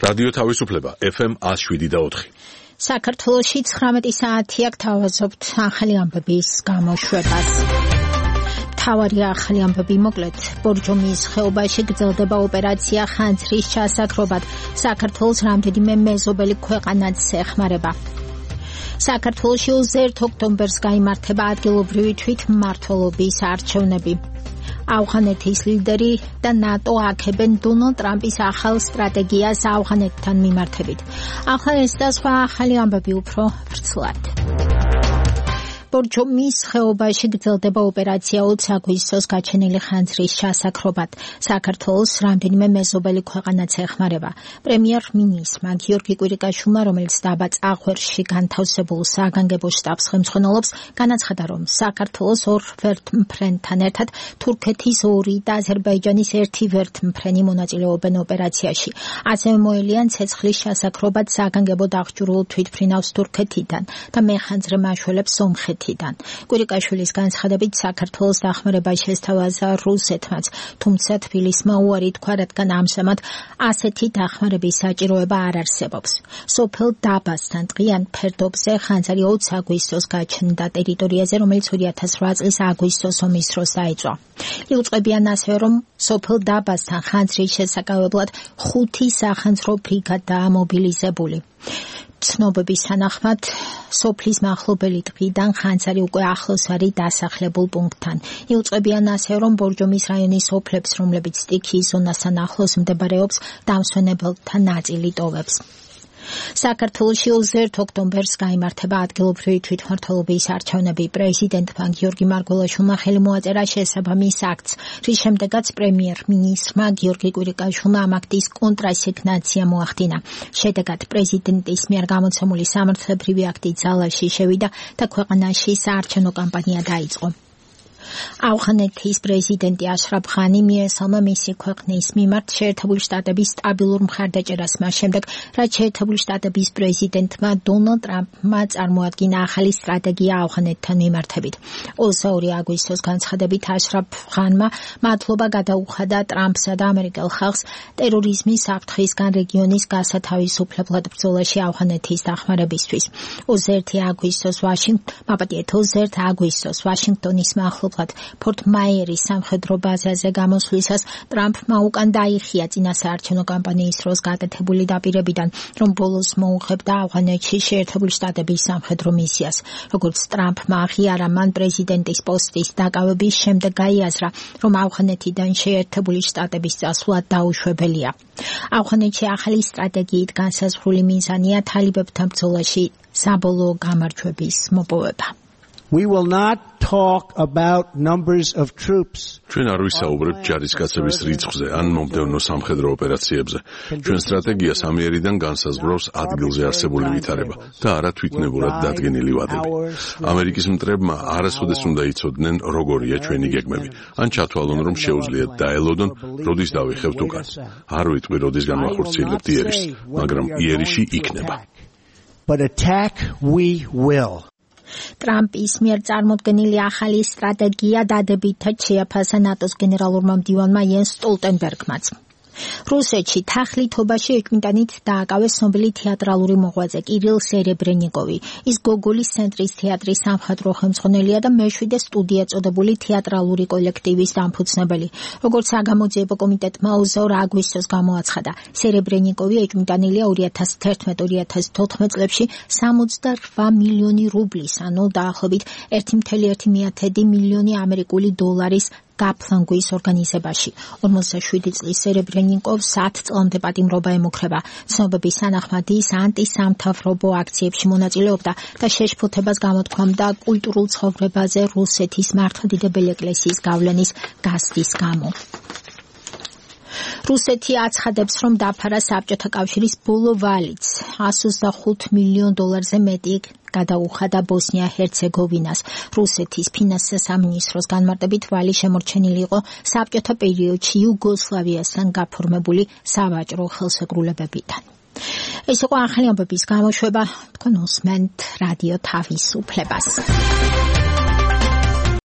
რადიო თავისუფლება FM 107.4. საქართველოში 19 საათია გთავაზობთ ახალი ამბების გამოშვებას. თავარი ახალი ამბები მოკლედ. ბორჯომის ხეობაში გრძელდება ოპერაცია ხანძრის ჩასაქრობად. საქართველოს რამდენიმე მეზობელი ქვეყანაც ეხმარება. საქართველოში 1 ოქტომბერს გაიმართება ადგილობრივი თვითმმართველობის არჩევნები. ავღანეთის ლიდერი და ნატო აქებენ დონალდ ტრამპის ახალ სტრატეგიას ავღანეთთან მიმართებით. ახლა ეს და სხვა ახალი ამბები უფრო ვრცლად. ბორჯომის ხეობაში გრძელდება ოპერაცია 20 აგვისტოს გაჩენილი ხანძრის ჩასაქრობად. საქართველოს რამდენიმე მეზობელი ქვეყანაც ეხმარება. პრემიერ-მინისტრმა გიორგი კვირიკაშვილმა, რომელიც დაბა წაღვერში განთავსებულ საგანგებო შტაბს ხელმძღვანელობს, განაცხადა, რომ საქართველოს ორ ვერთმფრენთან ერთად თურქეთის 2 და აზერბაიჯანის 1 ვერთმფრენი მონაწილეობენ ოპერაციაში. ასევე მოელიან ცეცხლის ჩასაქრობად საგანგებო დახჯურულ თვითმფრინავს თურქეთიდან და მეხანძრე მაშველებს სომხეთიდან. კვირიკაშვილის განცხადებით, საქართველოს დახმარება შესთავაზა რუსეთმაც, თუმცა თბილისმა უარი თქვა, რადგან ამჟამად ასეთი დახმარების საჭიროება არ არსებობს. სოფელ დაბასთან ტყიან ფერდობზე ხანძარი 20 აგვისტოს გაჩნდა ტერიტორიაზე, რომელიც 2008 წლის აგვისტოს ომის დროს დაიწყო. იუწყებიან ასევე, რომ სოფელ დაბასთან ხანძრის შესაკავებლად 5 სახანძრო ბრიგადაა მობილიზებული. ცნობების თანახმად, სოფლის მახლობელი ტყიდან ხანძარი უკვე ახლოს არის დასახლებულ პუნქტთან. იუწყებიან ასევე, რომ ბორჯომის რაიონის სოფლებს, რომლებიც სტიქიის ზონასთან ახლოს მდებარეობს, დამსვენებელთა ნაწილი ტოვებს. საქართველოში 21 ოქტომბერს გაიმართება ადგილობრივი თვითმმართველობის არჩევნები. პრეზიდენტმა გიორგი მარგველაშვილმა ხელი მოაწერა შესაბამის აქტს, რის შემდეგაც პრემიერ-მინისტრმა გიორგი კვირიკაშვილმა ამ აქტის კონტრასიგნაცია მოახდინა. შედეგად პრეზიდენტის მიერ გამოცემული სამართლებრივი აქტი ძალაში შევიდა და ქვეყანაში საარჩევნო კამპანია დაიწყო. ავღანეთის პრეზიდენტი აშრაფ ღანი მიესალმა მისი ქვეყნის მიმართ შეერთებული შტატების სტაბილურ მხარდაჭერას მას შემდეგ, რაც შეერთებული შტატების პრეზიდენტმა დონალდ ტრამპმა წარმოადგინა ახალი სტრატეგია ავღანეთთან მიმართებით. 22 აგვისტოს განცხადებით აშრაფ ღანმა მადლობა გადაუხადა ტრამპსა და ამერიკელ ხალხს ტერორიზმის საფრთხისგან რეგიონის გასათავისუფლებლად ბრძოლაში ავღანეთის დახმარებისთვის. 21 აგვისტოს ვაშინგტონის მახლობლად ფორტ მაიერის სამხედრო ბაზაზე გამოსვლისას ტრამპმა უკან დაიხია წინა საარჩევნო კამპანიის დროს გაკეთებული დაპირებიდან, რომ ბოლოს მოუხებდა ავღანეთში შეერთებული შტატების სამხედრო მისიას. როგორც ტრამპმა აღიარა, მან პრეზიდენტის პოსტის დაკავების შემდეგ გაიაზრა, რომ ავღანეთიდან შეერთებული შტატების წასვლა დაუშვებელია. ავღანეთში ახალი სტრატეგიით განსაზღვრული მიზანია თალიბებთან ბრძოლაში საბოლოო გამარჯვების მოპოვება. We will not talk about numbers of troops. ჩვენ არ ვისაუბრებთ ჯარისკაცების რიცხვზე ან მომდევნო სამხედრო ოპერაციებზე. ჩვენ სტრატეგიას ამიერიდან განსაზღვრავს ადგილზე არსებული ვითარება და არა თვითნებურად დადგენილი ვადები. ამერიკის მტრებმა არასოდეს უნდა იცოდნენ, როგორია ჩვენი გეგმები. ან ჩათვალონ, რომ შეუძლიათ დაელოდონ, როდის დავიხევთ უკან. არ ვიტყვი, როდის განვახორციელებთ იერიშს, მაგრამ იერიში იქნება. But attack we will. ტრამპის მიერ წარმოდგენილი ახალი სტრატეგია დადებითად შეაფასა ნატოს გენერალურმა მდივანმა იენს სტოლტენბერგმაც. რუსეთში თახლითობაში ეჭვმიტანით დააკავეს ცნობილი თეატრალური მოღვაწე კირილ სერებრენიკოვი. ის გოგოლის ცენტრის თეატრის სამხატვრო ხელმძღვანელია და მე-7 სტუდია წოდებული თეატრალური კოლექტივის დამფუძნებელი. როგორც საგამოძიებო კომიტეტმა 22 აგვისტოს გამოაცხადა, სერებრენიკოვი ეჭვმიტანილია 2011-2014 წლებში 68 მილიონი რუბლის, ანუ დაახლოებით 1,1 მილიონი ამერიკული დოლარის გაფლანგვის ორგანიზებაში. 47 წლის სერებრენიკოვს 10 წლამდე პატიმრობა ემუქრება. ცნობების თანახმად ის ანტისამთავრობო აქციებში მონაწილეობდა და შეშფოთებას გამოთქვამდა კულტურულ ცხოვრებაზე რუსეთის მართლმადიდებელი ეკლესიის გავლენის გასდის გამო. რუსეთი აცხადებს, რომ დაფარა საბჭოთა კავშირის ბოლო ვალიც 125 მილიონ დოლარზე მეტი გადაუხადა ბოსნია-ჰერცეგოვინას. რუსეთის ფინანსთა სამინისტროს განმარტებით ვალი შემორჩენილი იყო საბჭოთა პერიოდში იუგოსლავიასთან გაფორმებული სავაჭრო ხელშეკრულებებიდან. ეს იყო ახალი ამბების გამოშვება. თქვენ უსმენთ რადიო თავისუფლებას.